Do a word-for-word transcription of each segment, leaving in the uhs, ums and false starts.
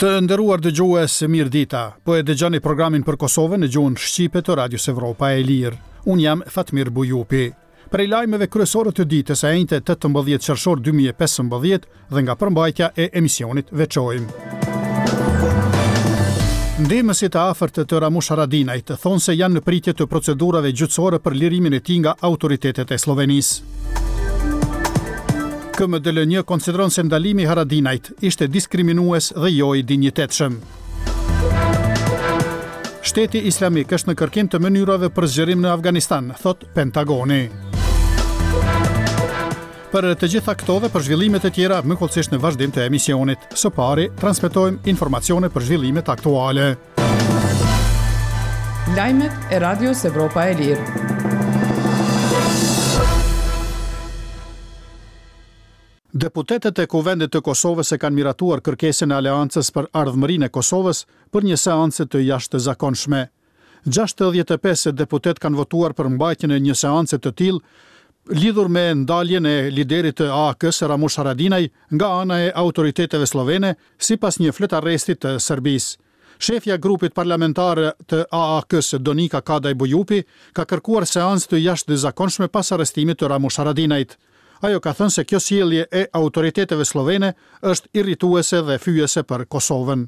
Të nderuar dëgjues, mirë dita. Po e dëgjoni programin për Kosovën në gjuhën shqipe të Radios Evropa e Lirë. Unë jam Fatmir Bujupi. Prej lajmeve kryesore të ditës së enjte tetëmbëdhjetë qershor dy mijë e pesëmbëdhjetë dhe nga përmbajtja e emisionit veçojmë. Ndihmësit e afërt të Ramush Haradinajt thonë se janë në pritje të procedurave gjyqësore për lirimin e tij nga autoritetet e Sllovenisë. K M D L një konsideron se ndalimi i Haradinajt ishte diskriminues dhe jo i dinjitetshëm. Shteti Islamik është në kërkim të mënyrave për zgjerim në Afganistan, thot Pentagoni. Për të gjitha këto dhe për zhvillimet e tjera, më hollësisht në vazhdim të emisionit. Së pari, transmetojmë informacione për zhvillimet aktuale. Lajmet e Radios Evropa e Lirë. Deputetët e Kuvendit të Kosovës e kanë miratuar kërkesën e Aleancës për Ardhmërinë e Kosovës për një seancë të jashtëzakonshme. gjashtëdhjetë e pesë deputet kanë votuar për mbajtjen e një seance të tillë lidhur me ndaljen e liderit të A A K-së Ramush Haradinaj nga ana e autoriteteve sllovene sipas një fletarresti të Serbisë. Shefja e grupit parlamentar të A A K-së Donika Kadaj Bujupi ka kërkuar seancë të jashtëzakonshme pas arrestimit të Ramush Haradinajt. Ajo ka thënë se kjo sjellje e autoriteteve sllovene është irrituese dhe fyese për Kosovën.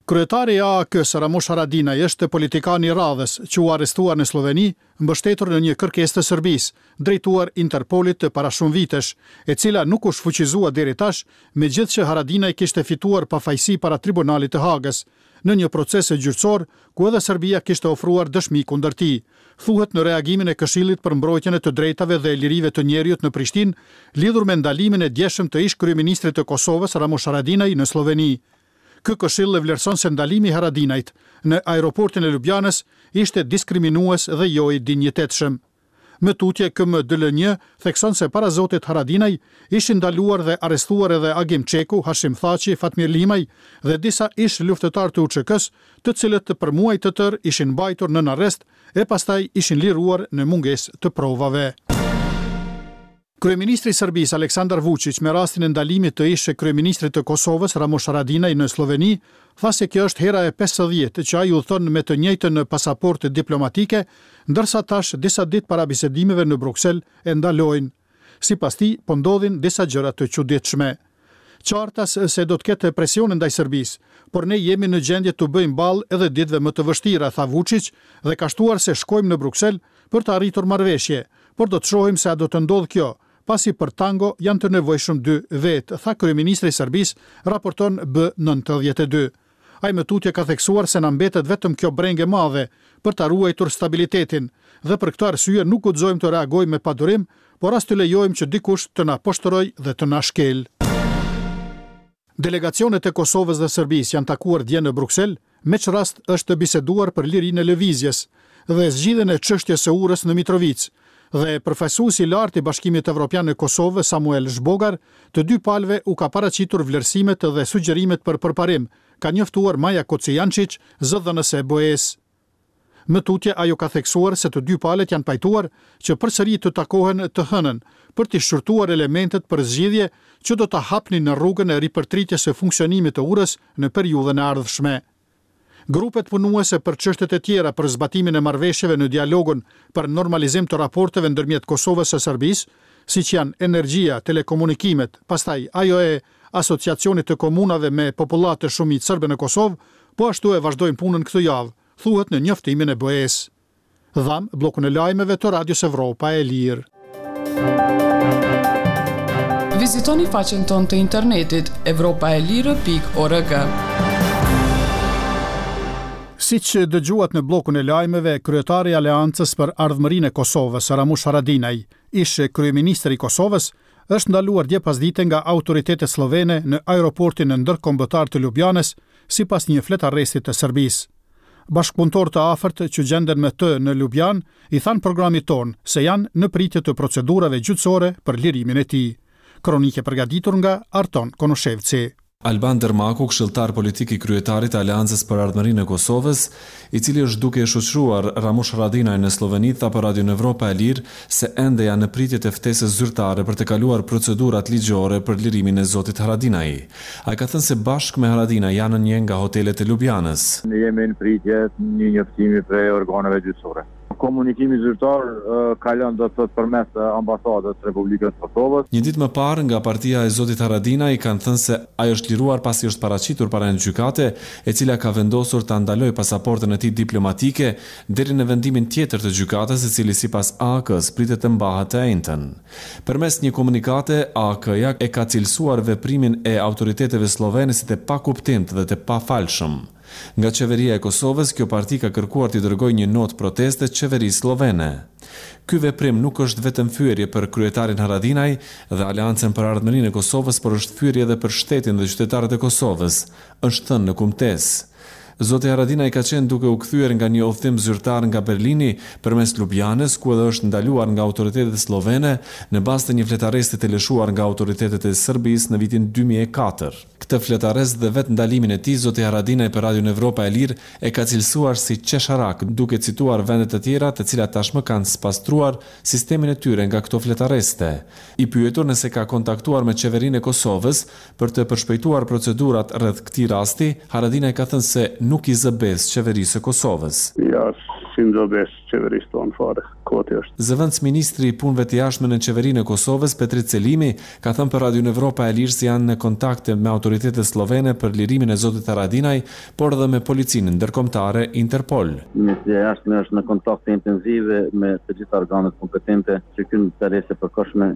Kryetari i A A K-së Ramush Haradinaj është politikani i radhës që u arrestua në Slloveni, mbështetur në një kërkesë të Serbisë, drejtuar Interpolit të para shumë vitesh, e cila nuk u shfuqizua deri tash, megjithëse Haradinaj kishte fituar pafajësi para Tribunalit të Hagës, në një proces gjyqësor ku edhe Serbia kishte ofruar dëshmi kundër tij, thuhet në reagimin e Këshillit për Mbrojtjen e të Drejtave dhe Lirive të Njeriut në Prishtinë, lidhur me ndalimin e djeshëm të ish kryeministrit të Kosovës Ramush Haradinaj në Slloveni. Ky këshill e vlerëson se ndalimi i Haradinajt në aeroportin e Ljubljanës ishte diskriminues dhe jo i dinjitetshëm. Më tutje K M D L një thekson se para zotit Haradinaj ishin ndaluar dhe arrestuar edhe Agim Çeku, Hashim Thaçi, Fatmir Limaj dhe disa ish luftëtarë të U Ç K-s, të cilët për muaj të tërë ishin mbajtur nën arrest e pastaj ishin liruar në mungesë të provave. Kryeministri i Serbisë Aleksandar Vučić me rastin e ndalimit të ish kryeministrit të Kosovës Ramush Haradinaj në Slloveni tha se kjo është hera e pesëdhjetë që ai udhton me të njëjtën pasaportë diplomatike, ndërsa tash disa ditë para bisedimeve në Bruksel e ndalojnë. Sipas tij, po ndodhin disa gjëra të çuditshme. Qartas se do të ketë presione ndaj Serbisë, por ne jemi në gjendje të bëjmë ballë edhe ditëve më të vështira, tha Vučić, dhe ka shtuar se shkojmë në Bruksel për të arritur marrëveshje, por do të shohim se a do të ndodhë kjo, pasi për tango janë të nevojshëm dy vetë, tha kryeministri i Serbisë, raporton B nëntëdhjetë e dy. Ai më tutje ka theksuar se na mbetet vetëm kjo brengë e madhe për ta ruajtur stabilitetin dhe për këtë arsye nuk guxojmë të reagojmë me padurim, por as të lejojmë që dikush të na poshtërojë dhe të na shkel. Delegacionet e Kosovës dhe Serbisë janë takuar dje në Bruksel, me ç'rast është biseduar për lirinë e lëvizjes dhe zgjidhjen e çështjes së urës në Mitrovicë. Dhe përfaqësuesi i lartë i Bashkimit Evropian në Kosovë, Samuel Zhbogar, të dy palëve u ka paraqitur vlerësimet dhe sugjerimet për përparim, ka njoftuar Maja Kocijančić, zëdhënëse e B E-s. Më tutje ajo ka theksuar se të dy palët janë pajtuar që përsëri të takohen të hënën për të shqyrtuar elementet për zgjidhje që do ta hapnin në rrugën e ripërtritjes së funksionimit të urës në periudhën e ardhshme. Grupet punuese për çështjet e tjera për zbatimin e marrëveshjeve në dialogun për normalizim të raporteve ndërmjet Kosovës e Serbisë, siç janë energjia, telekomunikimet, pastaj ajo e Asociacionit të Komunave me popullatë shumicë serbe në Kosovë, po ashtu e vazhdojnë punën këtë javë, thuhet në njoftimin e B E-s. Dham bllokun e lajmeve të Radios Evropa e Lirë. Vizitoni faqen tonë të internetit evropa e lirë pikë org. Siç dëgjuat në bllokun e lajmeve, kryetari i Aleancës për Ardhmërinë e Kosovës, Ramush Haradinaj, ish kryeministri i Kosovës, është ndaluar dje pasdite nga autoritetet sllovene në aeroportin ndërkombëtar të Ljubljanës, sipas një fletarresti të Serbisë. Bashkëpunëtorë të afërt që gjenden me të në Ljubljanë i thanë programit tonë se janë në pritje të procedurave gjyqësore për lirimin e tij. Kronike përgatitur nga Arton Konushevci. Alban Dërmaku, këshilltar politik i kryetarit të Aleancës për Ardhmërinë e Kosovës, i cili është duke e shoqëruar Ramush Haradinaj në Slloveni, tha për Radion Evropa e Lirë se ende janë në pritje të ftesës zyrtare për të kaluar procedurat ligjore për lirimin e zotit Haradinaj. Ai ka thënë se bashkë me Haradinaj janë në një nga hotelet e Lubjanës. Ne jemi në pritje të një njoftimi prej organeve gjyqësore. Komunikimi zyrtar kalon do të thotë përmes ambasadës së Republikës së Kosovës. Një ditë më parë nga partia e zotit Haradinaj kanë thënë se ai është liruar pasi është paraqitur para një gjykate, e cila ka vendosur ta ndalojë pasaportën e tij diplomatike deri në vendimin tjetër të gjykatës, i cili sipas A A K-së pritet të mbahet të enjten. Përmes një komunikate, A A K-ja e ka cilësuar veprimin e autoriteteve sllovene si të pakuptimtë dhe të pafalshëm. Nga qeveria e Kosovës, kjo parti ka kërkuar t'i dërgojë një notë proteste qeverisë sllovene. Ky veprim nuk është vetëm fyerje për kryetarin Haradinaj dhe Aleancën për Ardhmërinë e Kosovës, por është fyerje edhe për shtetin dhe qytetarët e Kosovës, është thënë në kumtesë. Zoti Haradinaj ka qenë duke u kthyer nga një udhëtim zyrtar nga Berlini përmes Lubjanës, ku edhe është ndaluar nga autoritetet sllovene në bazë të një fletarresti të lëshuar nga autoritetet e Serbisë në vitin dy mijë e katër. Këtë fletarrest dhe vetë ndalimin e tij, zoti Haradinaj për Radion Evropa e Lirë e ka cilësuar si qesharak, duke cituar vende të tjera të cilat tashmë kanë spastruar sistemin e tyre nga këto fletarreste. I pyetur nëse ka kontaktuar me qeverinë e Kosovës për të përshpejtuar procedurat rreth këtij rasti, Haradinaj ka thënë se nuk i zë besë qeverisë së Kosovës. Ja, si më zë besë qeverisë tonë fare, koti është. Zëvendësministri i Punëve të Jashtme në qeverinë e Kosovës, Petrit Selimi, ka thënë për Radion Evropa e Lirë se janë në kontakte me autoritetet sllovene për lirimin e zotit Haradinaj, por edhe me policinë ndërkombëtare Interpol. Ministria e Jashtme është në kontakte intensive me të gjitha organet kompetente që ky interes e përkohshme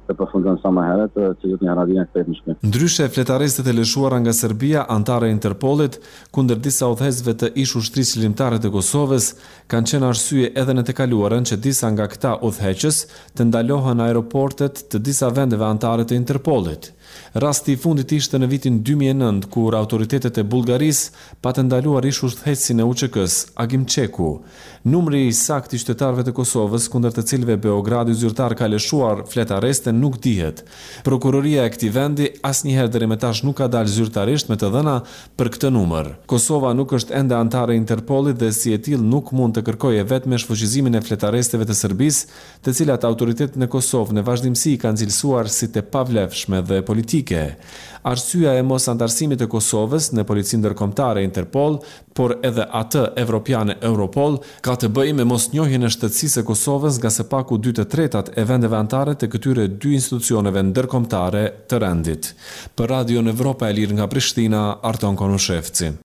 të përfundon sa më herët dhe që zoti Haradinaj të kthehet në shtëpi. Ndryshe, fletarrestët e lëshuara nga Serbia, anëtare e Interpolit, kundër disa udhëheqësve të ish ushtrisë çlirimtare të Kosovës, kanë qenë arsye edhe në të kaluarën që disa nga këta udhëheqës të ndalohen në aeroportet të disa vendeve anëtare të Interpolit. Rasti i fundit ishte në vitin dy mijë e nëntë, kur autoritetet e Bullgarisë patën ndaluar ish udhëheqësin e U Ç K-s, Agim Çeku. Numri i saktë i qytetarëve të Kosovës, kundër të cilëve Beogradi zyrtar ka lëshuar fletarreste, nuk dihet. Prokuroria e këtij vendi asnjëherë deri më tash nuk ka dalë zyrtarisht me të dhëna për këtë numër. Kosova nuk është ende anëtare e Interpolit dhe si e tillë nuk mund të kërkojë vetëm shfuqizimin e fletarresteve të Serbisë, të cilat autoritetet në Kosovë në vazhdimësi kanë cilësuar si të pavlefshme dhe politike. Arsyeja e mos antarësimit të Kosovës në policinë ndërkombëtare Interpol, por edhe atë evropiane Europol, ka të bëjë me mosnjohjen e shtetësisë së Kosovës nga së paku dy të tretat e vendeve anëtare të këtyre dy institucioneve ndërkombëtare të rendit. Për Radion Evropa e Lirë nga Prishtina, Arton Konushevci.